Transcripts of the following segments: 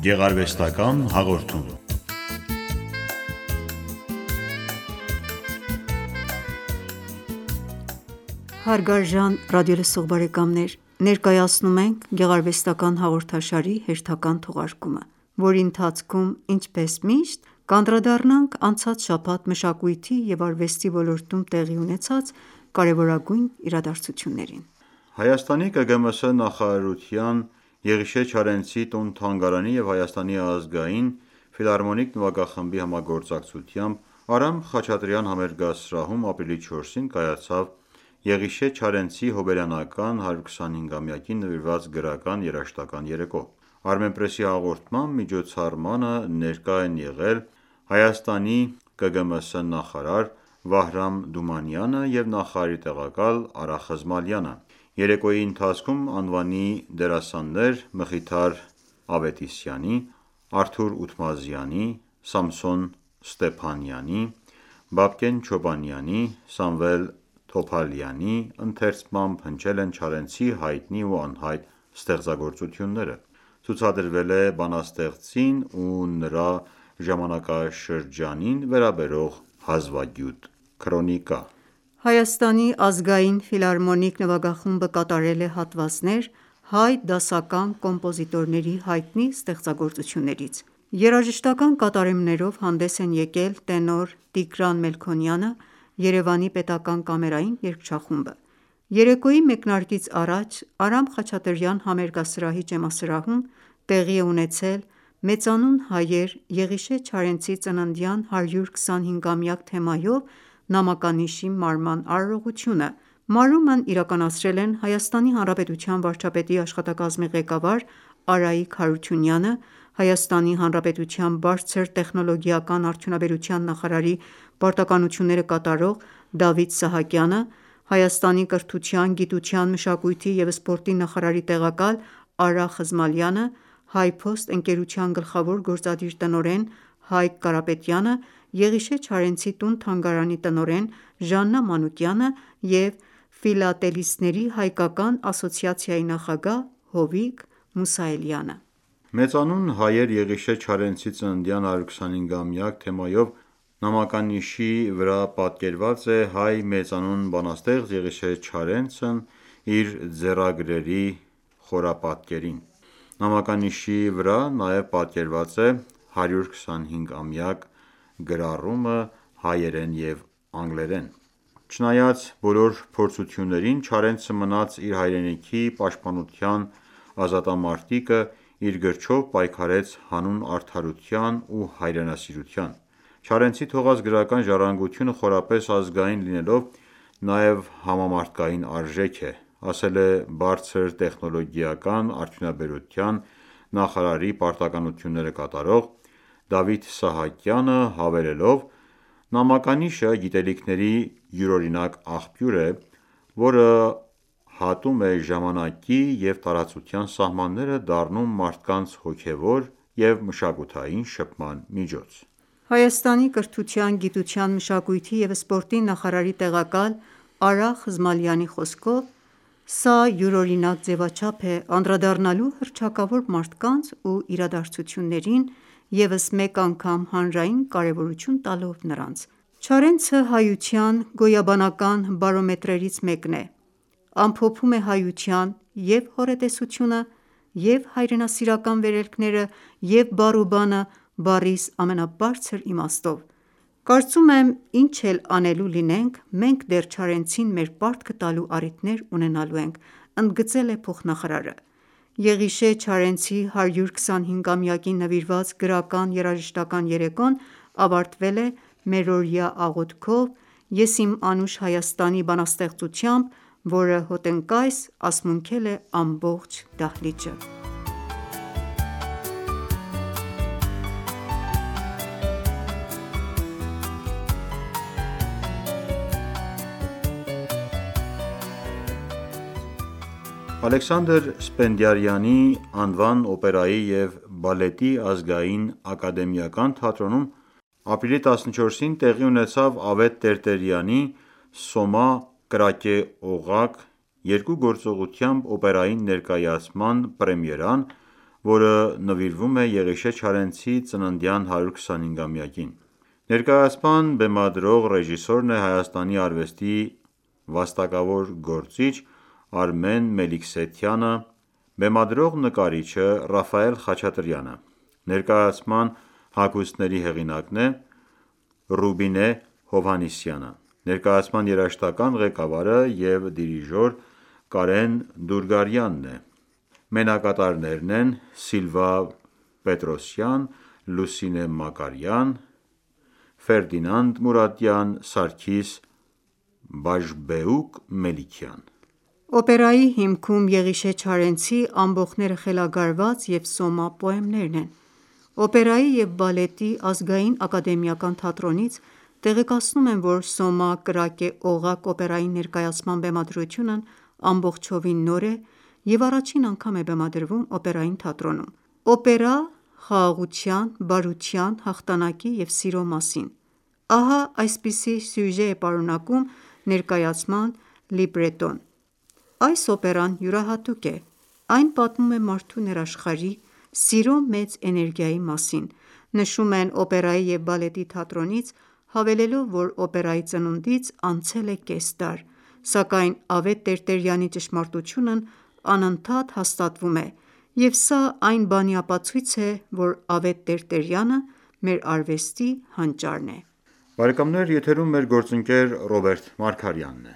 Գեղարվեստական հաղորդում։ Հարգարժան ռադիոլսող բարեկամներ, ներկայացնում ենք գեղարվեստական հաղորդաշարի հերթական թողարկումը, որի ընթացքում, ինչպես միշտ, կանդրադառնանք անցած շաբաթ մշակույթի և արվեստի ոլորտում տեղի ունեցած կարևորագույն իրադարձություններին։ Հայաստանի ԿԳՄՍ նախարարության Եղիշե Չարենցի տուն-թանգարանի և Հայաստանի ազգային ֆիլհարմոնիկ նվագախմբի համագործակցությամբ Արամ Խաչատրյան համերգասրահում ապրիլի 4-ին կայացավ Եղիշե Չարենցի հոբելյանական 125-ամյակին նվիրված գրական երաժշտական երեկո։ Armenpress-ի հաղորդմամբ միջոցառմանը ներկա են եղել Հայաստանի ԿԳՄՍ նախարար Վահրամ Դումանյանը և նախարարի տեղակալ Արա Խզմալյանը։ Երեկոյի ընթացքում անվանի դերասաններ Մխիթար Ավետիսյանի, Արթուր Ութմազյանի, Սամսոն Ստեփանյանի, Բաբկեն Չոբանյանի, Սամվել Թոփալյանի ընթերցմամբ հնչել են Չարենցի հայտնի ու անհայտ ստեղծագործությունները։ Ցուցադրվել է բանաստեղծին ու նրա ժամանակաշրջանին վերաբերող հազվագյուտ քրոնիկա։ Հայաստանի ազգային ֆիլհարմոնիկ նվագախումբը կատարել է հատվածներ հայ դասական կոմպոզիտորների հայտնի ստեղծագործություններից։ Երաժշտական կատարումներով հանդես են եկել տենոր Տիգրան Մելքոնյանը, Երևանի պետական կամերային երգչախումբը։ Երեկոյի մեկնարկից առաջ Արամ Խաչատրյան համերգասրահի ջեմասրահում տեղի է ունեցել «Մեծանուն հայեր» Եղիշե Չարենցի ծննդյան 125-ամյակ թեմայով նամականիշի մարման արարողությունը։ Մարումն իրականացրել են Հայաստանի Հանրապետության վարչապետի աշխատակազմի ղեկավար Արայիկ Հարությունյանը, Հայաստանի Հանրապետության բարձր տեխնոլոգիական արդյունաբերության նախարարի պարտականությունները կատարող Դավիթ Սահակյանը, Հայաստանի կրթության, գիտության, մշակույթի և սպորտի նախարարի տեղակալ Արա Խզմալյանը, HiPost ընկերության գլխավոր գործադիր տնօրեն Հայկ Կարապետյանը, Եղիշե Չարենցի տուն-թանգարանի տնօրեն Ժաննա Մանուկյանը և Ֆիլատելիստների հայկական ասոցիացիայի նախագահ Հովիկ Մուսայելյանը։ «Մեծանուն հայեր» Եղիշե Չարենցի ծննդյան 125-ամյակ թեմայով նամականիշի վրա պատկերված է հայ մեծանուն բանաստեղծ Եղիշե Չարենցն իր ձեռագրերի խորապատկերին։ Նամականիշի վրա նաև պատկերված է 125-ամյակ գրառումը հայերեն և անգլերեն։ Չնայած բոլոր փորձություններին, Չարենցը մնաց իր հայրենիքի պաշտպանության ազատամարտիկը, իր գրչով պայքարեց հանուն արդարության ու հայրենասիրության։ Չարենցի թողած գրական ժառանգությունը խորապես ազգային լինելով, նաև համամարտկային արժեք է, ասել է բարձր տեխնոլոգիական արդյունաբերության նախարարի պարտականությունները կատարող Դավիթ Սահակյանը, հավելելով.«Նամականիշը գիտելիքների յուրօրինակ աղբյուր է, որը հատում է ժամանակի և տարածության սահմանները, դառնում մարդկանց հոգևոր և մշակութային շփման միջոց»։ Հայաստանի կրթության, գիտության, մշակույթի և սպորտի նախարարի տեղակալ Արա Խզմալյանի խոսքով, սա յուրօրինակ ձևաչափ է անդրադառնալու հռչակավոր մարդկանց ու իրադարձություններին, ևս մեկ անգամ հանրային կարևորություն տալով նրանց։ Չարենցը հայության գոյաբանական բարոմետրերից մեկն է, ամփոփում է հայության և՛ հոռետեսությունը, և՛ հայրենասիրական վերելքները, և՛ բառ ու բանը բառիս ամենաբարձր իմաստով։ Կարծում եմ ինչ էլ անելու լինենք, մենք դեռ Չարենցին մեր պարտքը տալու առիթներ ունենալու ենք, ընդգծել է փոխնախարարը։ Եղիշե Չարենցի 125-ամյակին նվիրված գրական երաժշտական երեկոն ավարտվել է մերօրյա աղոթքով «Ես իմ անուշ Հայաստանի» բանաստեղծությամբ, որը հոտնկայս ասմունքել է ամբողջ դահլիճը։ Ալեքսանդր Սպենդիարյանի անվան օպերայի և բալետի ազգային ակադեմիական թատրոնում ապրիլի 14-ին տեղի ունեցավ Ավետ Տերտերյանի «Սոմա կրակե օղակ» երկու գործողությամբ օպերային ներկայացման պրեմիերան, որը նվիրվում է Եղիշե Չարենցի ծննդյան 125-ամյակին։ Ներկայացման բեմադրող ռեժիսորն է Հայաստանի արվեստի վաստակավոր գործիչ Արմեն Մելիքսեթյանը, բեմադրող նկարիչը Ռաֆայել Խաչատրյանը։ Ներկայացման հագուստների հեղինակն է Ռուբինե Հովհաննիսյանը։ Ներկայացման երաժշտական ղեկավարը և դիրիժոր Կարեն Դուրգարյանն է։ Մենակատարներն են Սիլվա Պետրոսյան, Լուսինե Մակարյան, Ֆերդինանդ Մուրադյան, Սարգիս Բաժբեուկ Մելիքյան։ Օպերայի հիմքում Եղիշե Չարենցի «Ամբոխները խելագարված» և «Սոմա» պոեմներն են։ Օպերայի և բալետի ազգային ակադեմիական թատրոնից տեղեկացնում են, որ «Սոմա Կրակե Օղակ» օպերայի ներկայացման բեմադրությունն ամբողջովին նոր է և առաջին անգամ է բեմադրվում օպերային թատրոնում։ Օպերա խաղաղության, բարության, հաղթանակի և սիրո մասին։ Ահա այսպիսի սյուժե է պարունակում ներկայացման լիբրետոն։ Այս օպերան յուրահատուկ է։ Այն պատմում է մարդու ներաշխարհի, սիրո մեծ էներգիայի մասին։ Նշում են օպերայի և բալետի թատրոնից, հավելելով, որ օպերայի ծնունդից անցել է կես դար, սակայն Ավետ Տերտերյանի ճշմարտությունն անընդհատ հաստատվում է, և սա այն բանի ապացույց է, որ Ավետ Տերտերյանը մեր արվեստի հանճարն է։ Եթերում մեր գործընկեր Ռոբերտ Մարգարյանն է։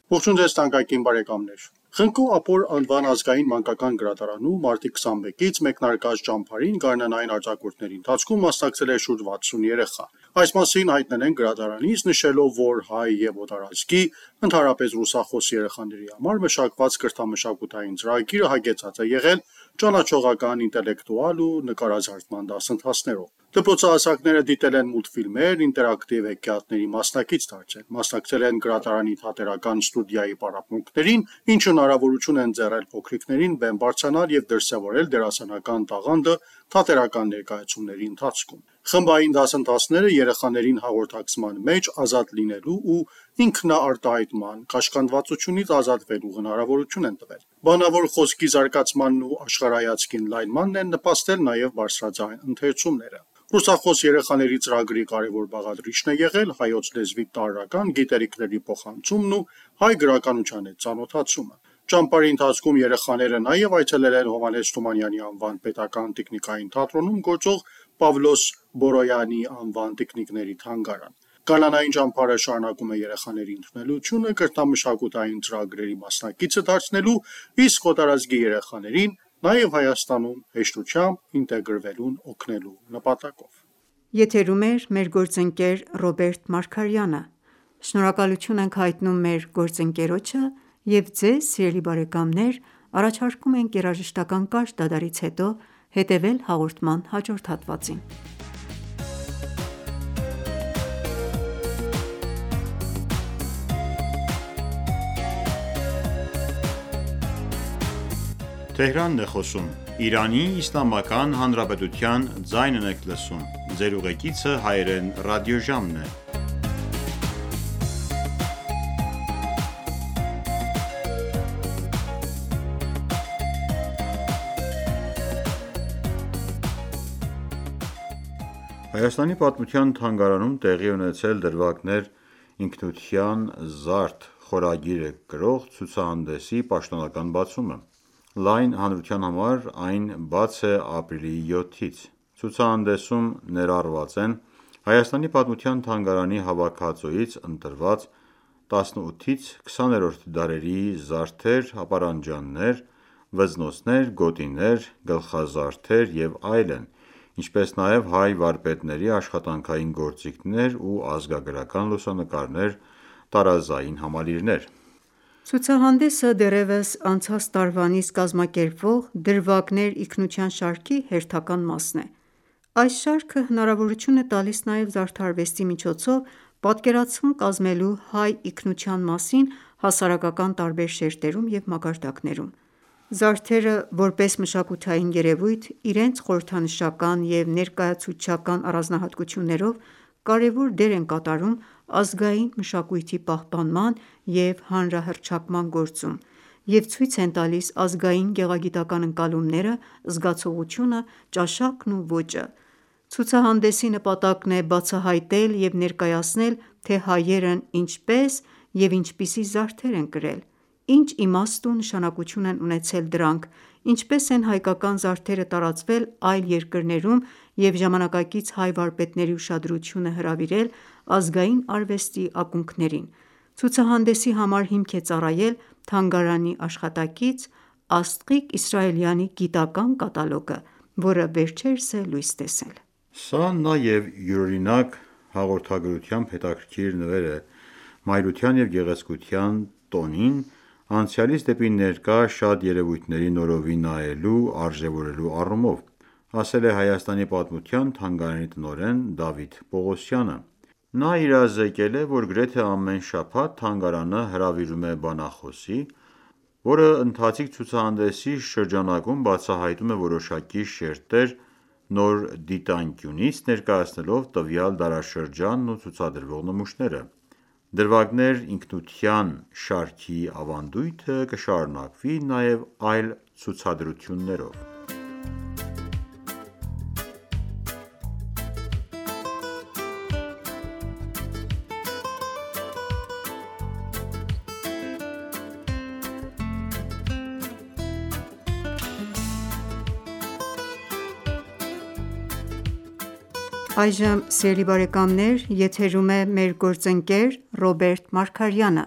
Ողջույն ձեզ թանկագին բարեկամներ։ Խնկո Ապոր անվան ազգային մանկական գրադարանում մարտի 21-ից մեկնարկած ճամփարին գարնանային արձակուրդների ընթացքում մասնակցել է շուրջ 60 երեխա։ Այս մասին հայտնել են գրադարանից, նշելով, որ հայ և օտարազգի, ընդհանրապես ռուսախոս երեխաների համար մշակված կրթամշակութային ծրագիրը հագեցած է եղել ճանաչողական, ինտելեկտուալ ու նկարազարդման դասընթացներով։ Դպրոցահասակները դիտել են մուլտֆիլմեր, ինտերակտիվ հեքիաթների մասնակից դարձել, մասնակցել են գրադարանի թատերական ստուդիայի պարապմունքներին, ինչը հնարավորություն է ընձեռել փոքրիկներին բեմ բարձրանալ և դրսևորել դերասանական տաղանդը թատերական ներկայացումների ընթացքում։ Խմբային դասընթացները երեխաներին հաղորդակցման մեջ ազատ լինելու ու ինքնաարտահայտման, կաշկանդվածությունից ազատվելու հնարավորություն են տվել։ Բանավոր խոսքի զարգացմանն ու աշխարհայացքի ընդլայնմանն են նպաստել նաև բարձրաձայն ընթերցումները։ Ռուսախոս երեխաների ծրագրի կարևոր բաղադրիչն է եղել հայոց լեզվի տարրական գիտելիքների փոխանցումն ու հայ գրականության հետ ծանոթացումը։ Ճամփարի ընթացքում երեխաները նաև այցելել են Հովհաննես Թումանյանի անվան պետական տիկնիկային թատրոնում գործող Պավլոս Բորոյանի անվան տիկնիկների թանգարան։ Գարնանային ճամփարը շարունակում է երեխաների ընդունելությունը կրթամշակութային ծրագրերի մասնակիցը դարձնելու, իսկ օտարազգի երեխաներին նաև Հայաստանում հեշտությամբ ինտեգրվելուն օգնելու նպատակով։ Եթերում է մեր գործընկեր Ռոբերտ Մարգարյանը։ Շնորհակալություն ենք հայտնում մեր գործընկերոջը և ձեզ սիրելի բարեկամներ առաջարկում ենք երաժշտական կարճ դադարից հետո հետևել հաղորդման հաջորդ հատվածին։ Հայաստանի պատմության թանգարանում տեղի ունեցել «Դրվագներ ինքնության զարդ» խորագիրը կրող ցուցահանդեսի պաշտոնական բացումը։ Լայն հանրության համար այն բաց է ապրիլի 7-ից։ Ցուցահանդեսում ներառված են Հայաստանի պատմության թանգարանի հավաքածուից ընտրված 18-ից 20-րդ դարերի զարդեր, ապարանջաններ, վզնոցներ, գոտիներ, գլխազարդեր և այլն, ինչպես նաև հայ վարպետների աշխատանքային գործիքներ ու ազգագրական լուսանկարներ, տարազային համալիրներ։ Ցուցահանդեսը դեռևս անցած տարվանից կազմակերպվող «Դրվագներ ինքնության» շարքի հերթական մասն է։ Այս շարքը հնարավորություն է տալիս նաև զարդարվեստի միջոցով պատկերացում կազմելու հայ ինքնության մասին հասարակական տարբեր շերտերում և մակարդակներում։ Զարդերը, որպես մշակութային երևույթ, իրենց խորհրդանշական և ներկայացուցչական առանձնահատկություններով կարևոր դեր են կատարում ազգային մշակույթի պահպանման և հանրահռչակման գործում և ցույց են տալիս ազգային գեղագիտական ընկալումները, զգացողությունը, ճաշակն ու ոճը: Ցուցահանդեսի նպատակն է բացահայտել և ներկայացնել, թե հայերն ինչպես և ինչպիսի զարդեր են կրել, ինչ իմաստ ու նշանակություն են ունեցել դրանք, ինչպես են հայկական զարդերը տարածվել այլ երկրներում և ժամանակակից հայ վարպետների ուշադրությունը հրավիրել ազգային արվեստի ակունքներին: Ցուցահանդեսի համար հիմք է ծառայել թանգարանի աշխատակից Աստղիկ Իսրայելյանի գիտական կատալոգը, որը վերջերս է լույս տեսել: Սա նաև յուրօրինակ հաղորդագրությամբ հետաքրքիր նվեր է մայրության և գեղեցկության տոնին անցյալից դեպի ներկա շատ երևույթների նորովի նայելու, արժևորելու առումով, ասել է Հայաստանի պատմության թանգարանի տնօրեն Դավիթ Պողոսյանը: Նա իրազեկել է, որ գրեթե ամեն շաբաթ թանգարանը հրավիրում է բանախոսի, որը ընթացիկ ցուցահանդեսի շրջանակում բացահայտում է որոշակի շերտեր նոր դիտանկյունից ներկայացնելով տվյալ դարաշրջանն ու ցուցադրվող նմուշները: «Դրվագներ ինքնության» շարքի ավանդույթը կշարունակվի նաև այլ ցուցադրություններով: Այժմ եթերում է մեր գործընկեր Ռոբերտ Մարգարյանը: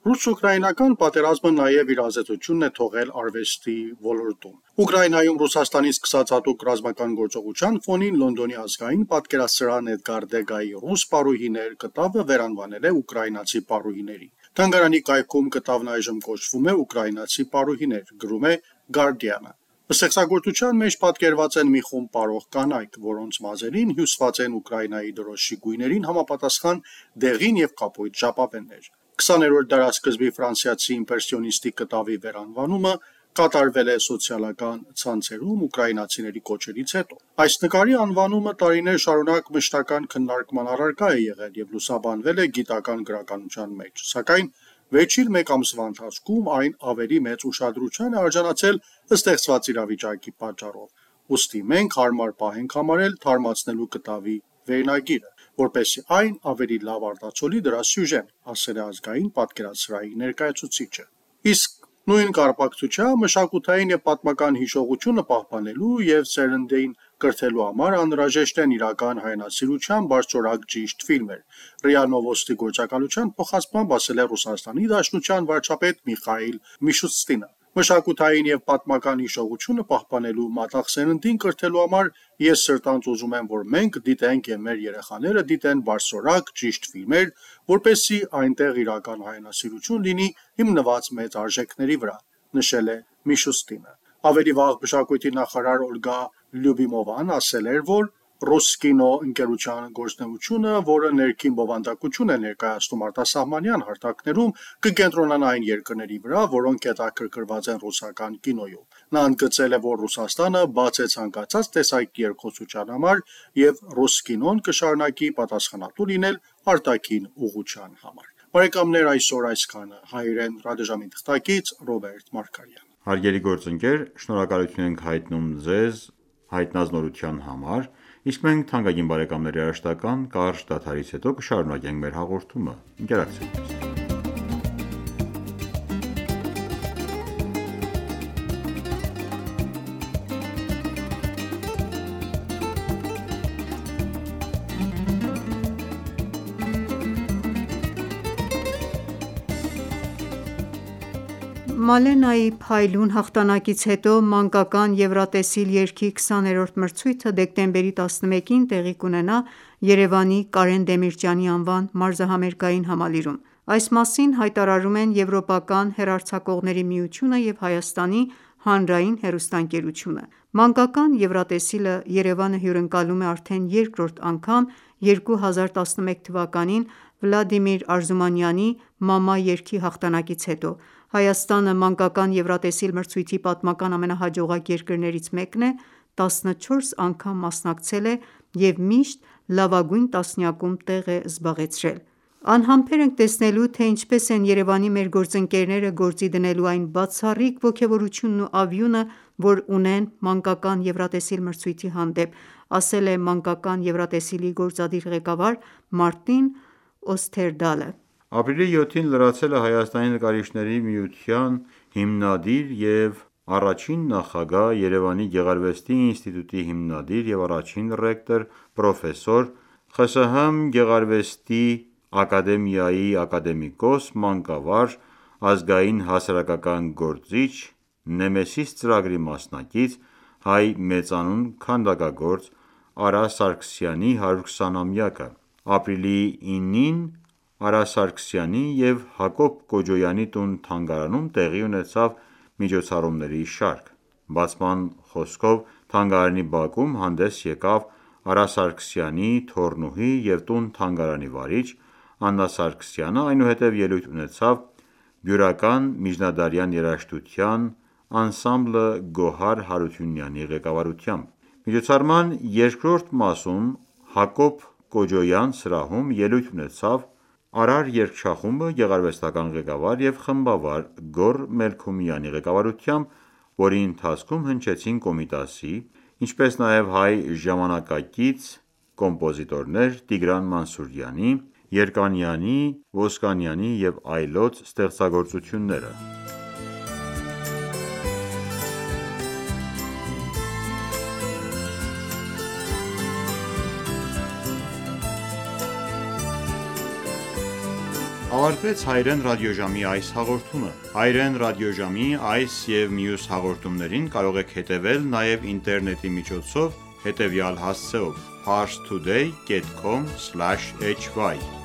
Ռուս-ուկրաինական պատերազմը նաև իր ազդեցությունն է թողել արվեստի ոլորտում: Ուկրաինայում Ռուսաստանից սկսած հատուկ ռազմական գործողության ֆոնին Լոնդոնի ազգային պատկերասրահն Էդգար Դեգայի «Ռուս պարուհիներ» կտավը վերանվանել է ուկրաինացի պարուհիների: Թանգարանի կայքում կտավն այժմ կոչվում է «Ուկրաինացի պարուհիներ», գրում է Guardian-ը: Ստեղծագործության մեջ պատկերված են մի խումբ պարող կանայք, որոնց մազերին հյուսված են Ուկրաինայի դրոշի գույներին համապատասխան դեղին և կապույտ ժապավեններ: 20-րդ դարասկզբի ֆրանսիացի իմպրեսիոնիստի կտավի վերանվանումը կատարվել է սոցիալական ցանցերում ուկրաինացիների կոչերից հետո: Այս նկարի անվանումը տարիներ շարունակ մշտական քննարկման առարկա է եղել և լուսաբանվել է գիտական գրականության մեջ, սակայն վերջին մեկ ամսվա ընթացքում այն ավելի մեծ ուշադրության է արժանացել ստեղծված իրավիճակի պատճառով: Ուստի մենք հարմար պահ ենք համարել թարմացնելու կտավի վերնագիրը, որպեսզի այն ավելի լավ արտացոլի դրա սյուժեն, ասել է ազգային պատկերասրահի ներկայացուցիչը: Իսկ նույն կապակցությամբ մշակութային և պատմական հիշողությունը պահպանելու և սերնդին կրթելու համար անհրաժեշտ են իրական հայրենասիրության բարձրորակ ճիշտ ֆիլմեր, ՌԻԱ Նովոստի գործակալության փոխանցմամբ ասել է Ռուսաստանի Դաշնության վարչապետ Միխայիլ Միշուստինը: Մշակութային և պատմական հիշողությունը պահպանելու, մատաղ սերնդին կրթելու համար ես սրտանց ուզում եմ, որ մենք դիտենք և մեր երեխաները դիտեն բարձրորակ, ճիշտ ֆիլմեր, որպեսզի այնտեղ իրական հայրենասիրություն լինի հիմնված մեծ արժեքների վրա, նշել է Միշուստինը: Ավելի վաղ մշակույթի նախարար Օլգա Լյուբիմովան ասել էր, որ «Ռուսկինո» ընկերության գործունեությունը, որը ներքին բովանդակություն է ներկայացնում արտասահմանյան հարթակներում, կկենտրոնանա այն երկրների վրա, որոնք հետաքրքրված են ռուսական կինոյով: Նա ընդգծել է, որ Ռուսաստանը բաց է ցանկացած տեսակի երկխոսության համար և «Ռուսկինոն» կշարունակի պատասխանատու լինել արտաքին ուղղության համար: Այսօր այսքանը: Հայրեն ռադիոժամի թղթակից Ռոբերտ Մարգարյան: Հարգելի գործընկեր, շնորհակալություն ենք հայտնում ձեզ հայտնածնորության համար, իսկ մենք թանկագին բարեկամների հրաժարական կարճ դադարից հետո կշարունակենք մեր հաղորդումը: Ընկերակցեք մեզ: Մալենայի փայլուն հաղթանակից հետո մանկական Եվրատեսիլ երգի 20-րդ մրցույթը դեկտեմբերի 11-ին տեղի կունենա Երևանի Կարեն Դեմիրճյանի անվան մարզահամերգային համալիրում: Այս մասին հայտարարում են Եվրոպական հեռարձակողների միությունը և Հայաստանի հանրային հեռուստաընկերությունը: Մանկական Եվրատեսիլը Երևանը հյուրընկալում է արդեն երկրորդ անգամ 2011 թվականին Վլադիմիր Արզումանյանի «Մամա» երգի հաղթանակից հետո: Հայաստանը մանկական Եվրատեսիլ մրցույթի պատմական ամենահաջողակ երկրներից մեկն է, 14 անգամ մասնակցել է և միշտ լավագույն տասնյակում տեղ է զբաղեցրել: Անհամբեր ենք տեսնելու, թե ինչպես են Երևանի մեր գործընկերները գործի դնելու այն բացառիկ ոգևորությունն ու ավյունը, որ ունեն մանկական Եվրատեսիլ մրցույթի հանդեպ, ասել է մանկական Եվրատեսիլի գործադիր ղեկավար Մարտին Օսթերդալը: Ապրիլի 7-ին լրացել է Հայաստանի նկարիչների միության հիմնադիր և առաջին նախագահ, Երևանի գեղարվեստի ինստիտուտի հիմնադիր և առաջին ռեկտոր, պրոֆեսոր, ԽՍՀՄ Գեղարվեստի ակադեմիայի ակադեմիկոս, մանկավար, ազգային հասարակական գործիչ, Նեմեսիս ծրագրի մասնակից, հայ մեծանուն քանդակագործ Արա Սարգսյանի 120-ամյակը: Ապրիլի 9-ին Արա Սարգսյանի և Հակոբ Կոջոյանի տուն-թանգարանում տեղի ունեցավ միջոցառումների շարք: Բացման խոսքով թանգարանի բակում հանդես եկավ Արա Սարգսյանի թոռնուհի և տուն-թանգարանի վարիչ Աննա Սարգսյանը, այնուհետև ելույթ ունեցավ բյուրական միջնադարյան երաժշտության անսամբլը Գոհար Հարությունյանի ղեկավարությամբ: Միջոցառման երկրորդ մասում Հակոբ Կոջոյան սրահում ելույթ ունեցավ «Արար» երգչախումբը գեղարվեստական ղեկավար և խմբավար Գոռ Մելքումյանի ղեկավարությամբ, որի ընթացքում հնչեցին Կոմիտասի, ինչպես նաև հայ ժամանակակից կոմպոզիտորներ Տիգրան Մանսուրյանի, Երկանյանի, Ոսկանյանի և այլոց ստեղծագործությունները: Ավարտվեց հայրեն ռադիոժամի այս հաղորդումը: Հայրեն ռադիոժամի այս և մյուս հաղորդումներին կարող եք հետևել նաև ինտերնետի միջոցով հետևյալ հասցեով՝ parstoday.com/hy